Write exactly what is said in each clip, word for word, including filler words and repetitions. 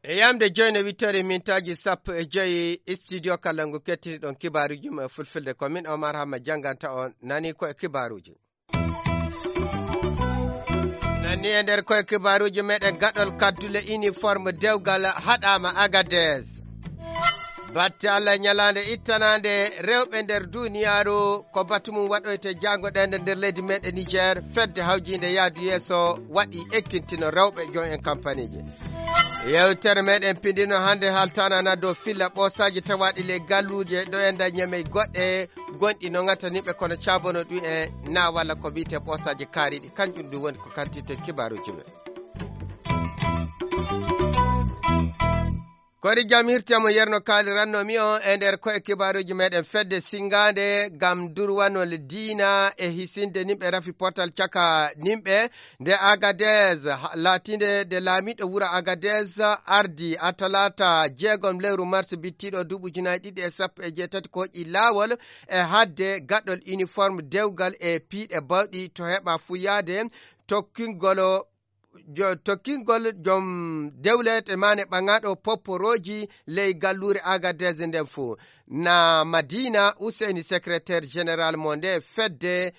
E yamde joyi no wittore mintaaji sappo e joyi, studio kala ngu kettiniɗon kibaaruuji mum e fulfulde, ko min Omar Hamma jannganta on. Nani ko e kibaaruuji. Nani e nder koye kibaaruuji meɗen, gaɗol kaddule uniforme dewgal haɗaama Agadez. Batte Allah, ñalaande ittanaande rewɓe nder duniyaaru, ko batu mum waɗoyte jaango ɗende nder leydi meɗen Niger, fedde hawjiinde yaadu yeeso waɗi ekkintino rewɓe joom en kampaniiji. Yewtere meɗen pindino hannde haltanana dow filla ɓoosaaji tawaaɗi ley galluuje ɗo e nder ñamey goɗɗe gonɗi no ŋataniɓe kono cabono ɗum en na walla ko wiyte ɓoosaaji kaariɗi, kanjum ɗum woni ko kantirten kibaaruuji men. Kori jam hirti mo yerno kaaliranno mi on e nder koye kibaaruuji meɗen. Fedde singaande ngam durwanol diina e hisinde nimɓe rafi potal caka nimɓe nde Agadez, ha-, laatinde nde laamiiɗo wuro Agadez ardi a talaata jeegom lewru mars bittiiɗo duuɓi ujunaaji ɗiɗi e sappo e jeetati, ko hoƴi laawol e haɗde gaɗol uniforme dewgal e piiɗe bawɗi to heɓa fuyaade tokkingol jo-, tokkingol joom dewle e maane ɓaŋaaɗo popporooji ley galluure Agadez nden fuu. Na Madina Useni, secrétaire général mo nde fedde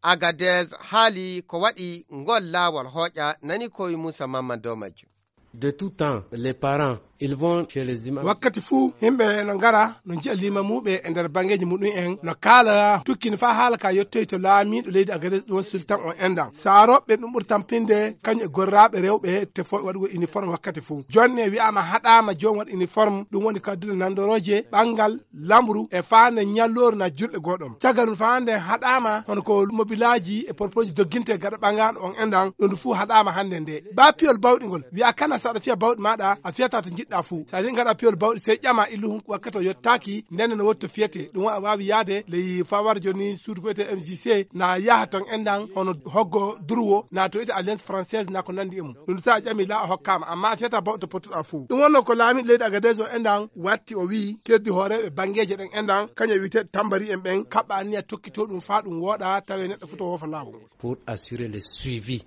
Agadez, haali ko waɗi ngol laawol hooƴa, nani ko wi Moussa Mamman dow majjum. De tout temps, les parents, ils vont chez les imams. Wakkati fuu, yimɓe no ngara, no nji'a limamuuɓe e nder bangeeji muɗum en, no kaala, tukkini faa haala ka yottoy to laamiiɗo leydi Agadez, ɗum woni sultan on endan. Saarooɓe ɗum ɓuri tampinde, kañum e gorraaɓe rewɓe, tefooɓe waɗugol uniforme wakkati fuu. Jonne wi'aama haɗaama joom waɗa uniforme, ɗum woni kaddule nandorooje, ɓangal, lamru e faande ñallooru na julɓe goo ɗon. Caggal ɗum faande haɗaama hono ko mobilaaji e porporooji dogginte gaɗa ɓangaaɗo on endan, ɗum fuu haɗaama hannde nde. Ba piyol bawɗi ngol, wi'a kana so aɗa fiya bawɗi maaɗa, a fiyata to njiɗɗa fuu. So a ngaɗa piyol bawɗi, sey ƴama illu hun wakkati o yottaaki, nden no wotto fiyete. Ɗum wa-, waawi yaade ley fawar jooni suudu ko wiyetee M J C, na yaha ton endan hono hoggo durwo, na to wiyetee Alliance Française, na ko nandi e mum. Ɗum so a ƴami la a hokkaama, amma a fiyata bawɗi to pottuɗa fuu. Ɗum wonno ko laamiiɗo leydi Agadez o endan watti o wi'i keddi hooreeɓe bangeeje ɗen endan, kañum e wi'eteeɗo tambari en ɓen, kaɓɓa anniya tokkitoo ɗum faa ɗum wooɗa, tawe neɗɗo fuu to woofa laawol ngol. Pour assurer le suivi.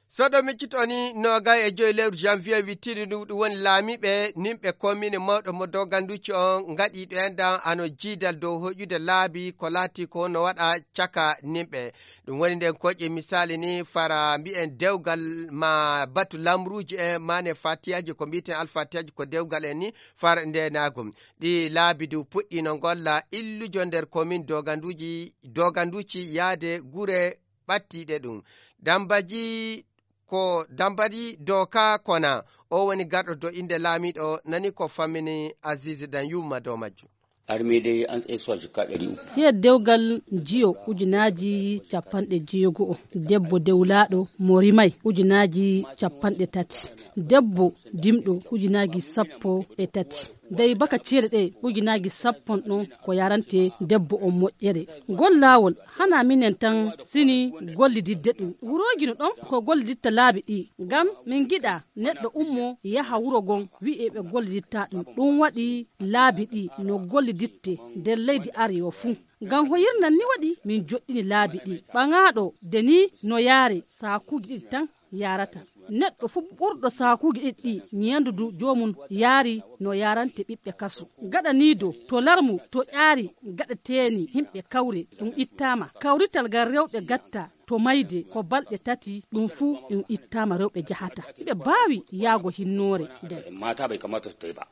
So ɗo miccito ni, noogay e joyi lewru janvier wittini ɗum, ɗum woni laamiiɓe, nimɓe kommine mawɗo mo Doganduci on ngaɗi ɗo endan ano jiidal dow hoƴude laabi ko laati ko no waɗa caka nimɓe. Ɗum woni nden koƴe misaali ni fara mbi'en dewgal ma batu lamruuji en, maane fatiyaaji ko mbi'eten alfatiyaaji ko dewgal en ni fara ndeenaagu. Ɗi laabi du puɗɗi no ngolla illujo nder komin Doganduji, Doganduci yaade gure ɓattiiɗe ɗum. Dambaji ko Dambadi Doka Kona, o woni garɗo do innde laamiiɗo, nani ko fammini Aziz Dan Yumma dow majjum. Armée des Ans et Sois jikka ɗari uku. Tiya dewgal jiyo ujunaaji capanɗe jeego o, debbo dewlaaɗo mo rimay ujunaaji capanɗe tati, debbo dimɗo ujunaaji sappo e tati. Dey baka ceede ɗe ujunaaji sappo on ɗon ko yarante debbo on moƴƴere. Ngol laawol hana minen tan sini gollididde ɗum. Wurooji no ɗon ko golliditta laabi ɗi. Ngam min ngiɗa neɗɗo ummo yaha wuro gon wi'e ɓe golliditta ɗum. Ɗum waɗi laabi ɗi no golliditte nder leydi Arewa fuu. Ngam hoyirnan ni waɗi min joɗɗini laabi ɗi. Ɓaŋaaɗo de ni no yaare saakuuji ɗiɗi tan yaarata. Neɗɗo fuu ɓurɗo saakuuji ɗiɗi ɗi ñeendudu joomum yaari no yaarante ɓiɓɓe kasu. Gaɗaniido to larmu to ƴaari gaɗeteeni himɓe kawre ɗum ittaama. Kawrital ngal rewɓe gatta to mayde ko balɗe tati ɗum fuu ɗum ittaama rewɓe jahata. Hiɓe baawi yaago hinnoore nden. Mata bai kamata su tai ba.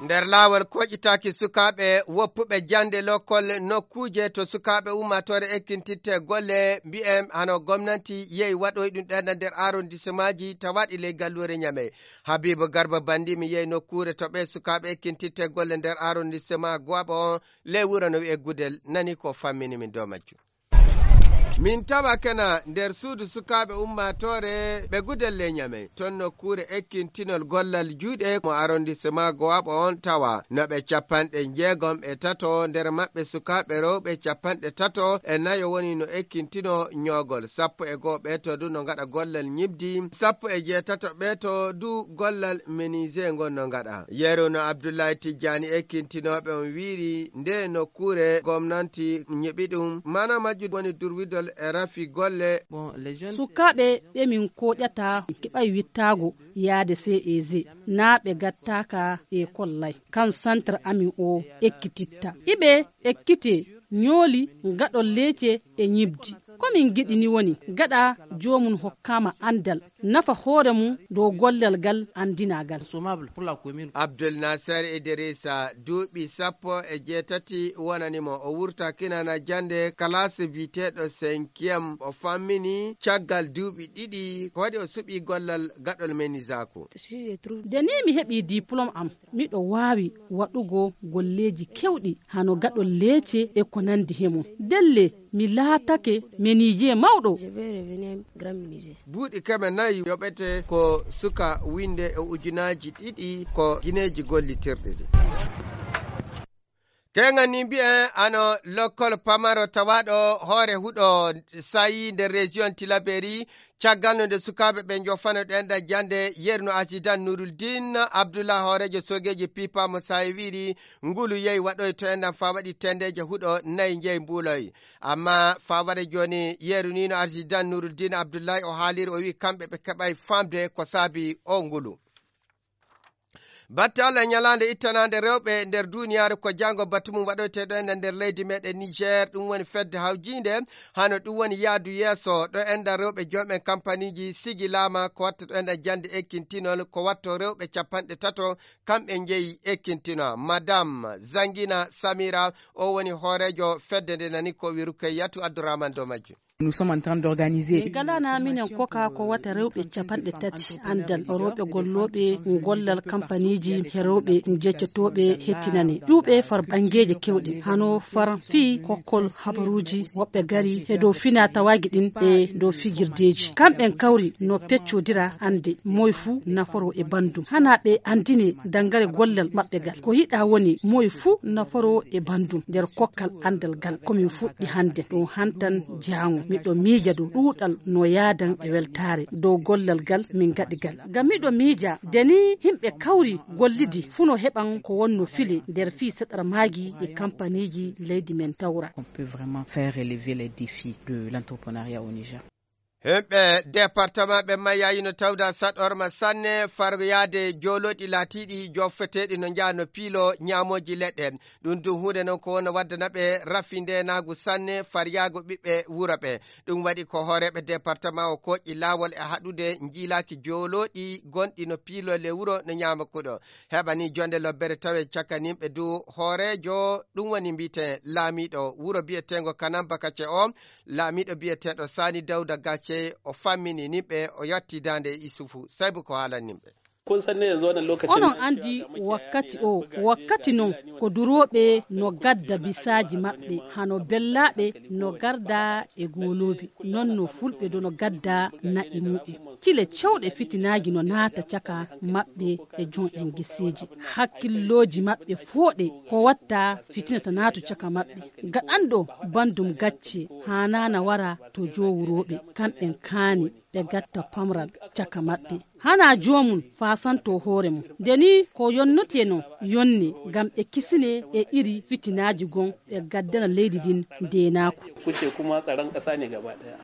Nder laawol koƴitaaki sukaaɓe woppuɓe jannde lokkol nokkuuje to sukaaɓe ummaatoore ekkintitte golle, mbi'en hano gomnanti yehi waɗoy ɗum ɗen nder arrondissemaaji tawaaɗi ley galluure Ñamey. Habiibu Garba Bandi mi yehi nokkuure to ɓe sukaaɓe ekkintitte golle nder arrondissement Goaɓa on ley wuro no wi'e Gudel, nani ko fammini min dow majjum. Min tawa kena nder suudu sukaaɓe ummaatoore ɓe Gudelle Ñamey, ton nokkuure ekkintinol gollal juuɗe mo arrondissement Gowaɓo on tawa. No ɓe capanɗe jeegom e tato, nder maɓɓe sukaaɓe rewɓe capanɗe tato e nayo woni no ekkintino ñoogol. Sappo e goo ɓee to du no ngaɗa gollal ñibdi, sappo e jeetato ɓee to du gollal menuisier ngol no ngaɗa. Yeru no Abdullahi Tijjani ekkintinooɓe on wiiri nde nokkuure gomnanti ñiɓi ɗum, mana majjum woni durwidol e rafi golle. Sukaaɓe ɓe min koƴata keɓay wittaago yaade C E G, naa ɓe gattaaka e kollay. Kan centre amin o ekkititta. Iɓe ekkite ñooli gaɗol leece e ñibdi. Ko min giɗi ni woni gaɗa joomum hokkaama anndal, nafa hoore mum dow gollal gal anndinaagal. Abdul Nasser Idrissa, duuɓi sappo e jeetati wonani mo. O wurta kinana jannde kalaas biyeteeɗo cinquième. O fammini caggal duuɓi ɗiɗi ko waɗi o suɓi gollal gaɗol menuisier. Nde ni mi heɓi diplôme am, miɗo waawi waɗugo golleeji kewɗi hano gaɗol leece e ko nandi he mum. Ndelle mi laatake menuisier mawɗo. Buuɗi keme nayi yoɓete ko suka winde e ujunaaji ɗiɗi ko gineeji gollitirɗi ɗi. Keŋan ni mbi'en ano lokkol pamaro tawaaɗo hoore huɗo sayi nder région Tilaberi, caggal no nde sukaaɓe ɓe njofano ɗenɗa jannde, yerno Asidan Nuruldin Abdullah hooreejo soogeeji pipa mo sayi wiiri ngulu yehi waɗoy to enɗan faa waɗi tendeeje huɗo nayi njehi mbuuloy. Amma faa waɗa jooni yeru ni no Asidan Nuruldin Abdullahi o haaliri, o wi'i kamɓe ɓe keɓay faamde ko saabi o ngulu. Batte Allah e ñalaande ittanaande rewɓe nder duuniyaaru ko janngo batu mum waɗoyteeɗo en nder leydi meɗen Niger, ɗum woni fedde hawjiinde, hano ɗum woni yaadu yeeso ɗo enɗan rewɓe joom'en kampaniiji sigilaama ko watta ɗo enɗan jannde ekkintinol ko watto rewɓe capanɗe tato kamɓe njeyi ekkintinol. Madame Zangina Samira o woni hooreejo fedde nde nani ko wi Rukayyatu Abdourahmane dow majjum. Nous sommes en train d'organiser. Min galana minen koka ko wata rewɓe capanɗe tati anndal rewɓe gollooɓe gollal kampaniiji he rewɓe jeccotooɓe hettinane ƴuuɓe far banngeeji kewɗi hano far fii kokkol habaruuji woɓɓe gari he dow finaa tawaaji ɗin e dow fijirdeeji. Kamɓen kawri no peccodira annde moy fuu naforo e banndum. Hana ɓe anndine danngare gollal maɓɓe gal. Ko yiɗaa woni moy fuu naforo e banndum nder kokkal anndal gal. Ko min fuɗɗi hannde ɗum hantan jaango. Miɗo miija dow ɗuuɗal no yaadan e weltaare dow gollal gal min gaɗi gal. Ngam miɗo miija de ni yimɓe kawri gollidi fuu no heɓan ko wonno file nder fii seɗar maagi e kampaniiji leydi men tawra. On peut vraiment faire relever les défis de l'entrepreneuriat au Niger. Himɓe departement ɓe mayyayi no tawda saɗorma sanne far yaade joolooɗi laatiiɗi joofeteeɗi no njaha no piilo ñaamooji leɗɗe. Ɗum dum huunde non ko wonno waddana ɓe rafi ndeenaagu sanne far yaago ɓiɓɓe wuro ɓe. Ɗum waɗi ko hooreeɓe departement o kooƴi laawol e haɗude njiilaaki joolooɗi gonɗi no piilo le wuro no ñaama kuɗo. Heɓani jonde lobbere tawe cakaninɓe du hooreejo ɗum woni mbiyeten laamiiɗo wuro biyeteengo Kanamba Kace o. Laamiiɗo biyeteeɗo Sani Dawda Gacce o fammini nimɓe o yatti daande e Isufu Saybu ko haalani nimɓe. Onon anndi wakkati o, wakkati non ko durooɓe no gadda bisaaji maɓɓe, hano bellaaɓe no garda e gooloobi, non no fulɓe do no gadda na'i mu'en. Kile cewɗe fitinaaji no naata caka maɓɓe e jon en geseeji. Hakkillooji maɓɓe fooɗe ko watta fitina ta naatu caka maɓɓe. Gaɗanɗo banndum gacce haanaana wara to joowurooɓe, kamɓen kaani ɓe gatta pamral caka maɓɓe. Hanaa joomum faasanto hoore mum. Nde nii ko yonnotee non yonne ngam ɓe kisine e iri fitinaaji gon ɓe gaddana leydi ndin ndeenaaku. Kuce kuma tsaron ƙasa ne gaba ɗaya.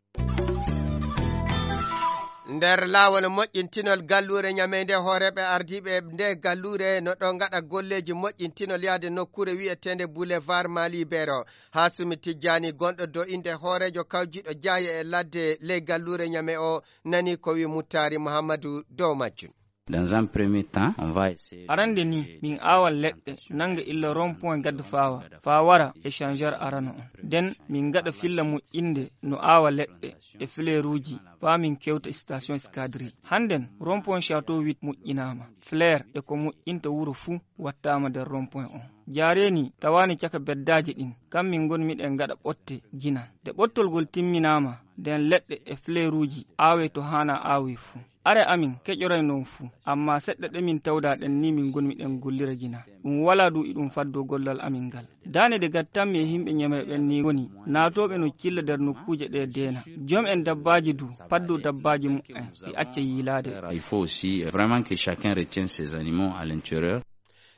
Nder laawol moƴƴintinol galluure Ñamey nde, hooreeɓe ardiiɓe nde galluure no ɗo ngaɗa golleeji moƴƴintinol yaade nokkuure wi'eteende Boulevard Mali Bero. Haasumi Tijjaani, gonɗo dow innde hooreejo kawjiiɗo jaaye e ladde ley galluure Ñamey o, nani ko wi Muttaari Muhammadu dow majjum. Dans un premier temps, on va essayer. Arande ni, min aawa leɗɗe nannga illa rond point Gadda Faawa, faa wara échangeur arano on. Nden min ngaɗa filla moƴƴinde no aawa leɗɗe e fleuruuji, faa min kewta station escadrille. Hannden rond point Château huit moƴƴinaama. Fleur e ko moƴƴinta wuro fuu wattaama nder rond point on. Jaaree ni tawaani caka beddaaji ɗin, kam min ngon miɗen ngaɗa ɓotte ginan. Nde ɓottol ngol timminaama, nden leɗɗe e fleuruuji aawee to haanaa aawee fuu. Are amin keƴoray non fuu, ammaa seɗɗa ɗe min tawdaa ɗen ni min ngon miɗen gollira ginan. Ɗum walaa du iɗum faddoo gollal amin ngal. Daane ɗe gattanmi e yimɓe Ñamey ɓen nii woni naatooɓe no cilla nder nokkuuje ɗee deena. Jom'en dabbaaji du paddoo dabbaaji muɓɓen, ɗi acca yiilaade. Il faut aussi vraiment que chacun retienne ses animaux à l'intérieur.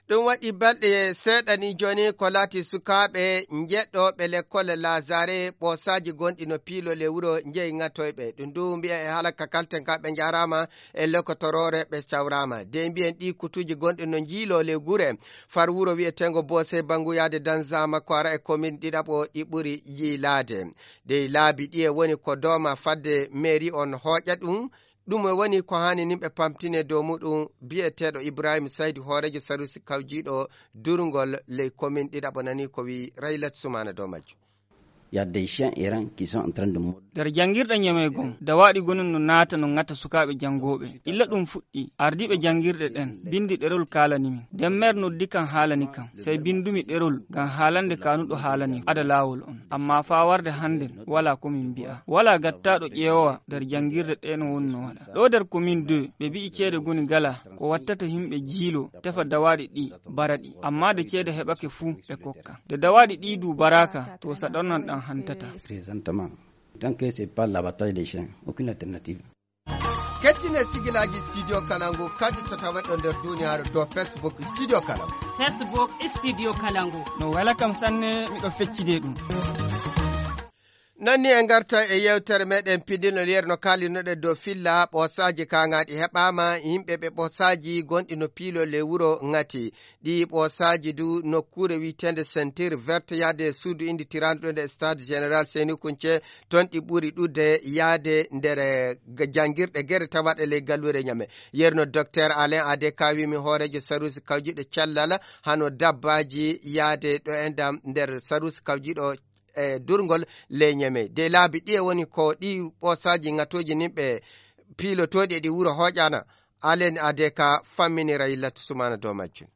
Ɗum waɗi balɗe seeɗa ni jooni ko laati sukaaɓe njeɗɗooɓe lekkol Laazare ɓoosaaji gonɗi no piilol e wuro njeyi ŋatoyɓe. Ɗum du mbiya e haala ka kalten ka ɓe njaaraama e lokotoroore ɓe cawraama. De mbiyen ɗi kutuuji gonɗi no njiiloo le gure far wuro wiyeteengo Boose Bangu yaade Danzama ko ara e komin ɗiɗaɓo ɗi ɓuri yiilaade. De laabi ɗiye woni ko dooma fadde mairie on hooƴa ɗum. Ɗum e woni ko haani nimɓe pamtine dow muɗum biyeteeɗo Ibrahim Saydi hooreejo sarusi kawjiiɗo durngol ley komin ɗiɗaɓo nani ko wi Raylat Sumana dow majjum. Il y a des chiens errants qui sont en train de mordre. Nder janngirɗe ñamey gom, dawaaɗi gonon no naata no ŋata sukaaɓe janngooɓe. Illa ɗum fuɗɗi, ardiiɓe janngirɗe ɗen, binndi ɗerol kaalani min. Nden meer noddi kan haalani kan. Sey binndumi ɗerol ngam haalande kaanuɗo haalani ada laawol on. Ammaa faa warde hannden, walaa ko min mbi'a. Walaa gattaaɗo ƴeewowa nder janngirde ɗee no woni no waɗa. Ɗoo nder komin deux, ɓe mbi'i ceede goni gala ko wattata yimɓe jiilo tefa dawaaɗi ɗi bara ɗi. Ammaa de ceede heɓake fuu ɓe kokka. De dawaaɗi ɗii du baraaka, to saɗornan ɗan hantata. Présentement, tant que c'est pas l'abattage des chiens, aucune alternative. Kettine sigilaaji Studio Kalangu kadi so tawat ɗo nder duniyaaru dow Facebook Studio Kalangu. Facebook Studio Kalangu. No wela kam sanne, miɗo feccide ɗum. Non ni en ngarta e yewtere meɗen pidinol yeru no kaalinoɗen dow filla ɓoosaaji kaŋaaɗi heɓaama yimɓe ɓe ɓoosaaji gonɗi no piilol e wuro ŋati. Ɗi ɓoosaaji du nokkuure wiyeteende Ceinture Verte yaade e suudu innditiraandu ɗo nde Stade Général Seyni Kunce, toon ɗi ɓuri ɗuuɗde yaade nder, eh, ga-, janngirɗe gere tawaɗe ley galluure Ñame. Yerno Docteur Alain Adeka wiimi hooreejo saruusi kawjiiɗo cellal hano dabbaaji yaade ɗo e ndam nder saruusi kawjiiɗo e durngol ley Ñame. De laabi ɗiye woni ko ɗi ɓoosaaji ŋatooji nin ɓe piilotooɗi e ɗi wuro hooƴaana? Alain Adeka famminiray Latu Sumana dow majjum.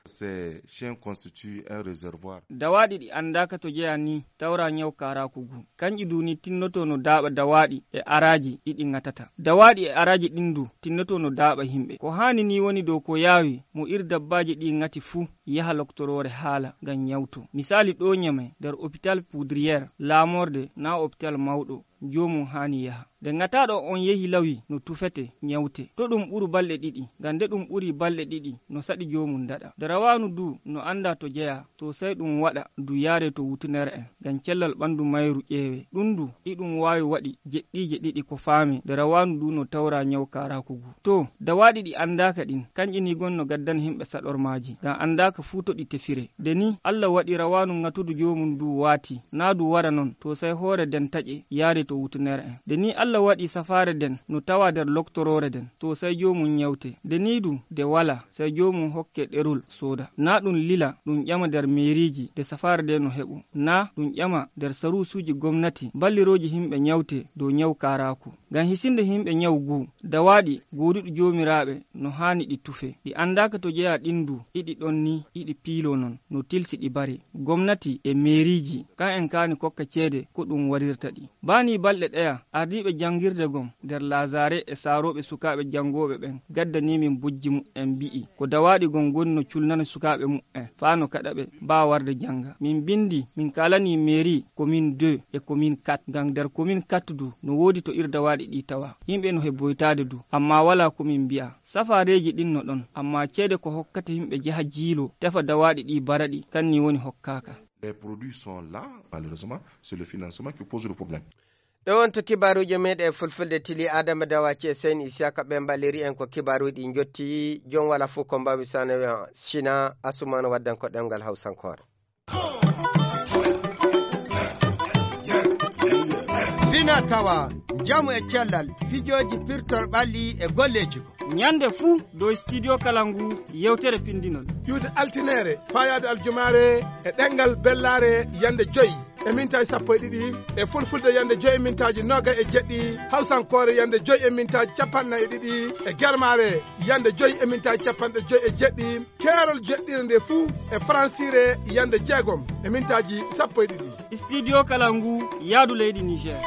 Ces chiens constituent un réservoir. Dawaaɗi ɗi anndaaka to jeyaa ni tawra ñaw kaaraaku ngu. Kanƴi du ni tinnoto no daaɓa dawaaɗi e araaji ɗi ɗi ŋatata. Dawaaɗi e araaji ɗin du tinnoto no daaɓa yimɓe. Ko haani ni woni dow ko yaawi mo ir dabbaaji ɗi ŋati fuu yaha loktoroore haala ngam ñawto. Misaali ɗo Ñame nder hôpital Poudrière, laamorde naa hôpital mawɗo. Joomum haani yaha. Nde ŋataaɗo on yehi lawi no tufete, ñawte. To ɗum ɓuru balɗe ɗiɗi, ngam nde ɗum ɓuri balɗe ɗiɗi, no saɗi joomum daɗa. Nde rawaanu du no anndaa to jeyaa, to sey ɗum waɗa du yaaree to wutunere'en, ngam cellal ɓanndu mayru ƴeewee. Ɗum du, iɗum waawi waɗi jeɗɗiije ɗiɗi ko faamee, nde rawaanu du no tawraa ñaw kaaraaku ngu. To, dawaaɗi ɗi anndaaka ɗin, kanƴi ni gon no gaddana yimɓe saɗormaaji, ngam anndaaka fuu to ɗi tefiree. Nde ni, Alla waɗi rawaanu ŋatudu joomum du waati, naa du wara non, to sey hoore nden taƴe yaaree to wutunere'en. Nde ni Alla waɗi safaare nden no tawaa nder loktoroore nden, to sey joomum ñawte. Nde ni du, nde walaa, sey joomum hokke ɗerol sooda. Naa ɗum lila, ɗum ƴama nder meeriiji nde safaare nde no heɓo. Naa ɗum ƴama nder saruusuuji gomnati ballirooji yimɓe ñawte dow ñaw kaaraaku. Ngam hisinde yimɓe ñaw ngu, dawaaɗi gooduɗi joomiraaɓe no haani ɗi tufe. Ɗi anndaaka to jeyaa ɗin du, iɗi ɗon ni, iɗi piiloo non, no tilsi ɗi baree. Gomnati e meeriiji, kan en kaani kokka ceede ko ɗum waɗirta ɗi. Baa nii balɗe ɗeya, ardiiɓe janngirde gom nder Laazaare e saarooɓe sukaaɓe janngooɓe ɓen gaddanii min bojji muɓɓen mbi'i, ko dawaaɗi gom ngoni no culnana sukaaɓe muɓɓen faa no kaɗa ɓe mbaa warde jannga. Min mbinndi, min kaalanii meeri commune deux e commune quatre, ngam nder commune quatre du no woodi to ir dawaaɗi ɗi tawa. Yimɓe no hebboytaade du, ammaa walaa ko min mbi'a. Safaareeji ɗin no ɗon, ammaa ceede ko hokkata yimɓe jaha jiilo, tefa dawaaɗi ɗi bara ɗi, kan ni woni hokkaaka. Les produits sont là, malheureusement, c'est le financement qui pose le problème. Ɗo wonto kibaaruuji meeɗen e fulfulde tili Adama Dawaci e Seyni Isiyaka ɓe mballiri en ko kibaaruuji ɗi njotti. Jom wala fof ko mbawmi sano wiya Sina Asumana waddan ko ɗemngal Hawsankoore. Fina tawa, njamu e cellal, fijooji pirtol ɓalli e golleeji ko. Ñande fuu dow Studio Kalangu yewtere pinndinol. Ƴuwde altineere, faayaade aljumaare e ɗemngal bellaare yande joy e mintaaji sappo e ɗiɗi, e fulfulde yande joy e mintaaji noogay e jeɗɗi, hawsankoore yande joy e mintaaji capanɗe nayi e ɗiɗi, e germaare yande joy e mintaaji capanɗe joy e jeɗɗi, keerol joɗɗire nde fuu e faransiire yande jeegom e mintaaji sappo e ɗiɗi. Studio Kalangu, yaadu leydi Niger.